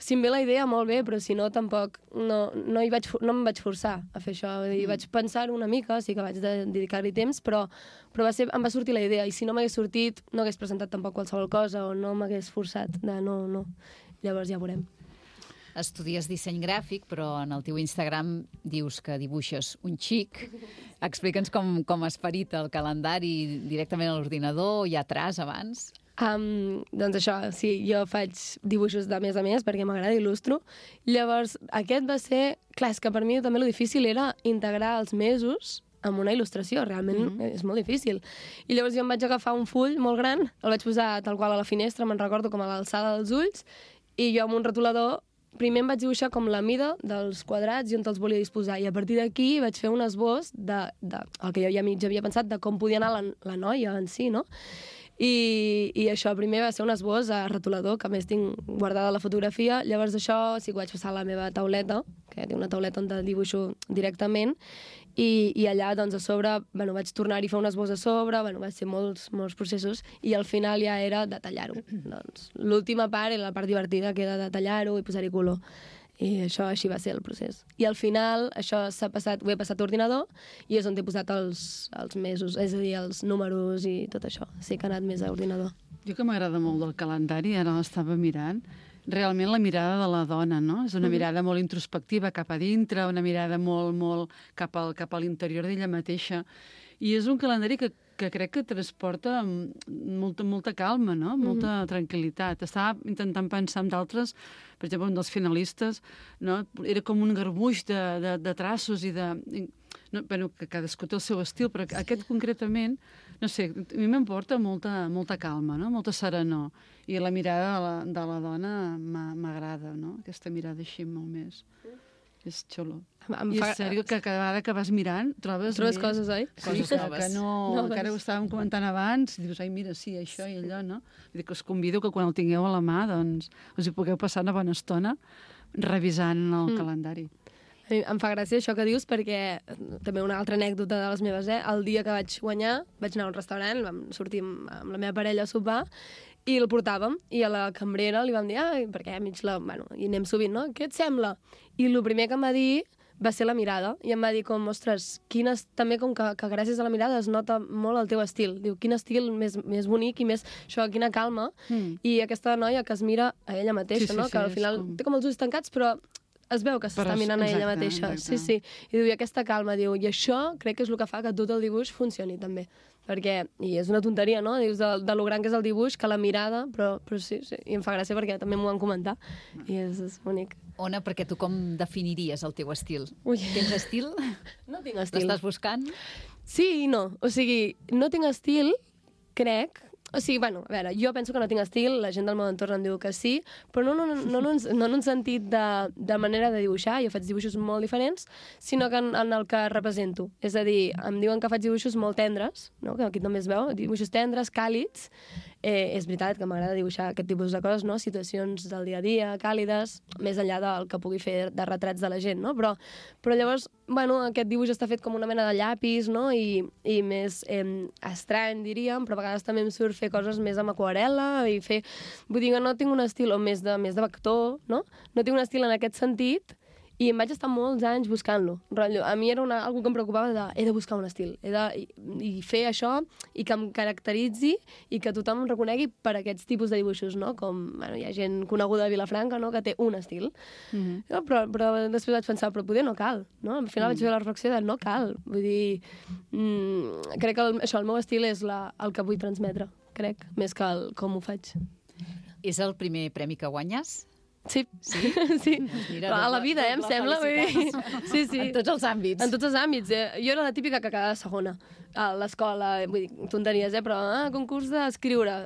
si em ve la idea, molt bé, però si no, tampoc no em vaig forçar a fer això. I vaig pensar una mica, sí que vaig dedicar-hi temps, però em va sortir la idea, i si no m'hagués sortit, no hagués presentat tampoc qualsevol cosa, o no m'hagués forçat de no. Llavors ja veurem. Estudies disseny gràfic, però en el teu Instagram dius que dibuixes un xic. Explica'ns com has parit el calendari directament a l'ordinador, hi ha traç abans? Doncs això, sí, jo faig dibuixos de mes a mes perquè m'agrada, il·lustro. Llavors, aquest va ser... Clar, és que per mi també lo difícil era integrar els mesos amb una il·lustració, realment és molt difícil. I llavors jo em vaig agafar un full molt gran, el vaig posar tal qual a la finestra, me'n recordo com a l'alçada dels ulls, i jo amb un rotulador primer em vaig dibuixar com la mida dels quadrats i on els volia disposar, i a partir d'aquí vaig fer un esbós el que jo ja mig havia pensat de com podia anar la noia en si, no? I això primer va ser un esbós a rotulador, que a més tinc guardada la fotografia. Llavors això sí que ho vaig passar a la meva tauleta, que té una tauleta on dibuixo directament, i allà doncs a sobre vaig tornar-hi a fer un esbós a sobre, va ser molts processos, i al final ja era detallar-ho. Doncs l'última part era la part divertida, que era detallar-ho i posar-hi color. I això així va ser el procés. I al final això ho he passat a ordinador i és on he posat els mesos, és a dir, els números i tot això. Sí que ha anat més a ordinador. Jo que m'agrada molt del calendari, ara l'estava mirant, realment la mirada de la dona, no? És una mirada molt introspectiva cap a dintre, una mirada molt cap a l'interior d'ella mateixa. I és un calendari que crec que transporta molta calma, no? Molta tranquil·litat. Estava intentant pensar en d'altres, per exemple, un dels finalistes, no? Era com un garbuix de traços i de... Bueno, que cadascú té el seu estil, però aquest concretament, no sé, a mi m'emporta molta calma, no? Molta serenor. I la mirada de la dona m'agrada, no? Aquesta mirada així molt més. És xulo. I és sèrio que cada vegada que vas mirant trobes coses, oi? Coses noves. Que ara ho estàvem comentant abans, i dius, ai, mira, sí, això i allò, no? Vull dir que us convido que quan el tingueu a la mà, doncs, us hi pugueu passar una bona estona revisant el calendari. Em fa gràcia això que dius, perquè també una altra anècdota de les meves, el dia que vaig guanyar, vaig anar a un restaurant, vam sortir amb la meva parella a sopar, i el portàvem, i a la cambrera li vam dir, perquè i anem sovint, no? Què et sembla? I el primer que em va dir va ser la mirada, i em va dir ostres, també com que gràcies a la mirada es nota molt el teu estil. Diu, quin estil més bonic i més, això, quina calma. I aquesta noia que es mira a ella mateixa, no? Que al final té com els ulls tancats, però es veu que s'està mirant a ella mateixa. Sí, sí. I diu, i aquesta calma, diu, i això crec que és el que fa que tot el dibuix funcioni també. Perquè, i és una tonteria, no? Dius de lo gran que és el dibuix, que la mirada, però sí, i em fa gràcia perquè també m'ho van comentar, i és bonic. Ona, perquè tu com definiries el teu estil? Tens estil? No tinc estil. L'estàs buscant? Sí i no. O sigui, no tinc estil, crec. O sigui, bueno, a veure, jo penso que no tinc estil, la gent del meu entorn em diu que sí, però no en un sentit de manera de dibuixar, jo faig dibuixos molt diferents, sinó que en el que represento. És a dir, em diuen que faig dibuixos molt tendres, no? Que aquí també es veu, dibuixos tendres, càlids. És veritat que m'agrada dibuixar aquest tipus de coses, no? Situacions del dia a dia, càlides, més enllà del que pugui fer de retrats de la gent, no? Però llavors, bueno, aquest dibuix està fet com una mena de llapis, no? I més estrany, diríem, però a vegades també em surt fer coses més amb aquarel·la i fer... Vull dir que no tinc un estil, o més de vector, no? No tinc un estil en aquest sentit, i em vaig estar molts anys buscant-lo. A mi era algo que em preocupava de he de buscar un estil, i fer això i que em caracteritzi i que tothom em reconegui per aquests tipus de dibuixos, no? Com, bueno, hi ha gent coneguda a Vilafranca, no?, que té un estil. No? Però després vaig pensar, però poder no cal, no? Al final vaig fer la reflexió de no cal. Vull dir, crec que el meu estil és el que vull transmetre, crec, més que com ho faig. És el primer premi que guanyes? Sí. Sí? Sí. Doncs mira, a la vida, em sembla. Sí, sí. En tots els àmbits. En tots els àmbits. Jo era la típica que quedava segona a l'escola, vull dir, tonteries, però concurs d'escriure,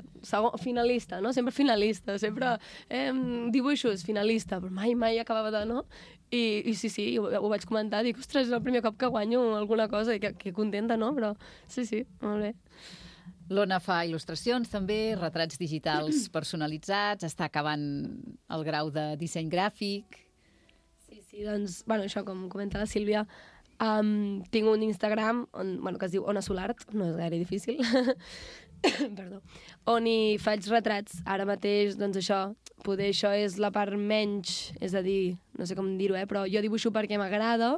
finalista, no? Sempre finalista, sempre dibuixos, finalista, però mai acabava de, no? I sí, ho vaig comentar, dic, ostres, és el primer cop que guanyo alguna cosa, i que contenta, no? Però sí, molt bé. L'Ona fa il·lustracions també, retrats digitals personalitzats, està acabant el grau de disseny gràfic. Sí, doncs, bueno, això com comenta la Sílvia, tinc un Instagram que es diu Ona Solart, no és gaire difícil, perdó, on hi faig retrats. Ara mateix, doncs això, poder això és la part menys, és a dir, no sé com dir-ho, però jo dibuixo perquè m'agrada,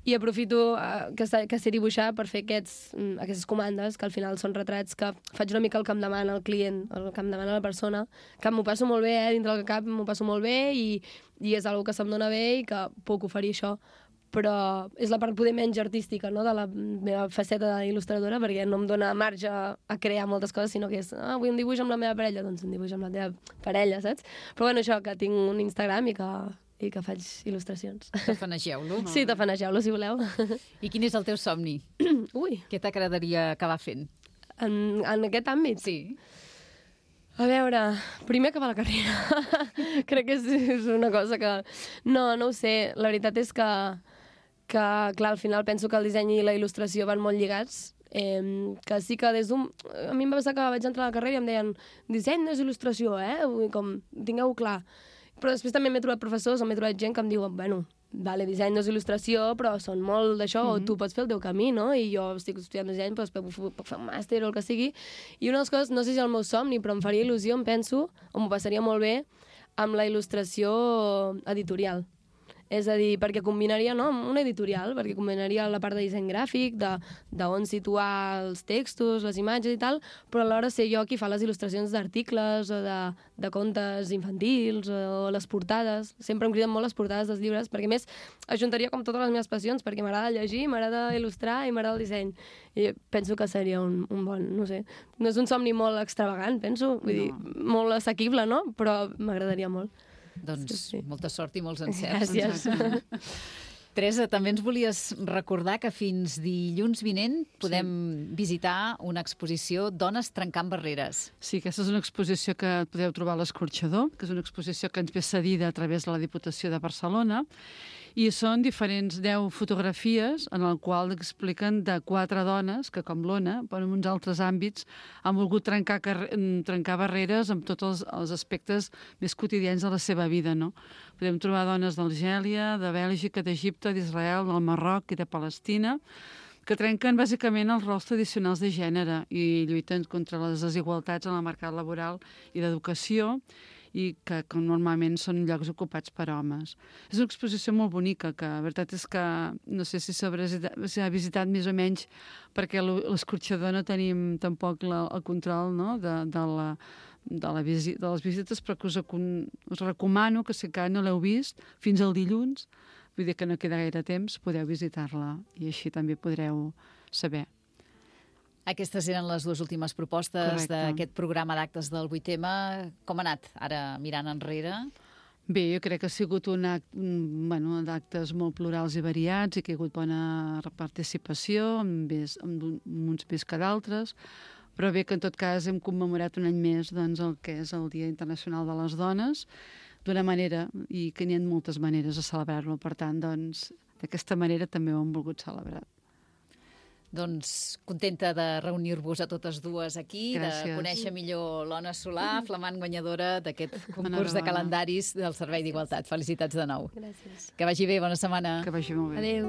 i aprofito que sé dibuixar per fer aquestes comandes, que al final són retrats que faig una mica el que em demana el client, el que em demana la persona, que m'ho passo molt bé, dintre del cap m'ho passo molt bé, i és una cosa que se'm dona bé i que puc oferir això. Però és la part poder menys artística, no?, de la meva faceta d'il·lustradora, perquè no em dona marge a crear moltes coses, sinó que és, vull un dibuix amb la meva parella, doncs un dibuix amb la teva parella, saps? Però bueno, això, que tinc un Instagram i que faig il·lustracions. Tafanegeu-lo. Sí, tafanegeu-lo, si voleu. I quin és el teu somni? Ui. Què t'agradaria acabar fent? En aquest àmbit? Sí. A veure, primer acabar la carrera. Crec que és una cosa que... No ho sé. La veritat és que, clar, al final penso que el disseny i la il·lustració van molt lligats, que sí que des d'un... A mi em va passar que vaig entrar a la carrera i em deien disseny no és il·lustració, com, tingueu-ho clar. Però després també m'he trobat professors o m'he trobat gent que em diuen, bueno, vale, disseny no és il·lustració, però són molt d'això, o tu pots fer el teu camí, no? I jo estic estudiant disseny, però després puc fer un màster o el que sigui. I una de les coses, no sé si és el meu somni, però em faria il·lusió, em penso, o m'ho passaria molt bé, amb la il·lustració editorial. És a dir, perquè combinaria, no?, una editorial, perquè combinaria la part de disseny gràfic, d'on situar els textos, les imatges i tal, però alhora ser jo qui fa les il·lustracions d'articles o de contes infantils o les portades. Sempre em criden molt les portades dels llibres, perquè més ajuntaria com totes les meves passions, perquè m'agrada llegir, m'agrada il·lustrar i m'agrada el disseny. I penso que seria un bon, no sé, no és un somni molt extravagant, penso, vull dir, molt assequible, no?, però m'agradaria molt. Doncs molta sort i molts encerts. Gràcies. Teresa, també ens volies recordar que fins dilluns vinent podem visitar una exposició Dones trencant barreres. Sí, aquesta és una exposició que podeu trobar a l'Escorxador, que és una exposició que ens ve cedida a través de la Diputació de Barcelona, i són diferents 10 fotografies en el qual expliquen de 4 dones que, com l'Ona, però en uns altres àmbits, han volgut trencar barreres amb tots els aspectes més quotidians de la seva vida, no? Podem trobar dones d'Algèria, de Bèlgica, d'Egipte, d'Israel, del Marroc i de Palestina, que trenquen bàsicament els rols tradicionals de gènere i lluiten contra les desigualtats en el mercat laboral i d'educació, i que normalment són llocs ocupats per homes. És una exposició molt bonica, que la veritat és que no sé si s'ha visitat més o menys, perquè a l'Escorxador no tenim tampoc el control, no?, de de les visites, però que us recomano que si encara no l'heu vist, fins al dilluns, vull dir que no queda gaire temps, podeu visitar-la i així també podreu saber. Aquestes eren les dues últimes propostes d'aquest programa d'actes del 8M. Com ha anat, ara mirant enrere? Bé, jo crec que ha sigut d'actes molt plurals i variats i que hi ha hagut bona participació, uns més que d'altres, però bé que en tot cas hem commemorat un any més doncs, el que és el Dia Internacional de les Dones, d'una manera, i que n'hi ha moltes maneres de celebrar-lo, per tant, doncs, d'aquesta manera també ho hem volgut celebrar. Doncs contenta de reunir-vos a totes dues aquí, de conèixer millor l'Ona Solà, flamant guanyadora d'aquest concurs de calendaris del Servei d'Igualtat. Felicitats de nou. Gràcies. Que vagi bé, bona setmana. Que vagi molt bé. Adéu.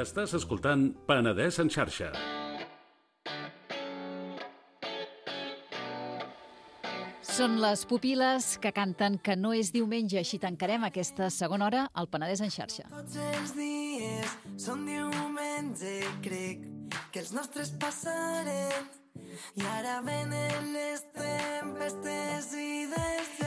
Estàs escoltant Penedès en xarxa. Són les Pupil·les que canten que no és diumenge. Així tancarem aquesta segona hora al Penedès en xarxa. Tots els dies són diumenge, crec que els nostres passaren i ara venen les tempestes i des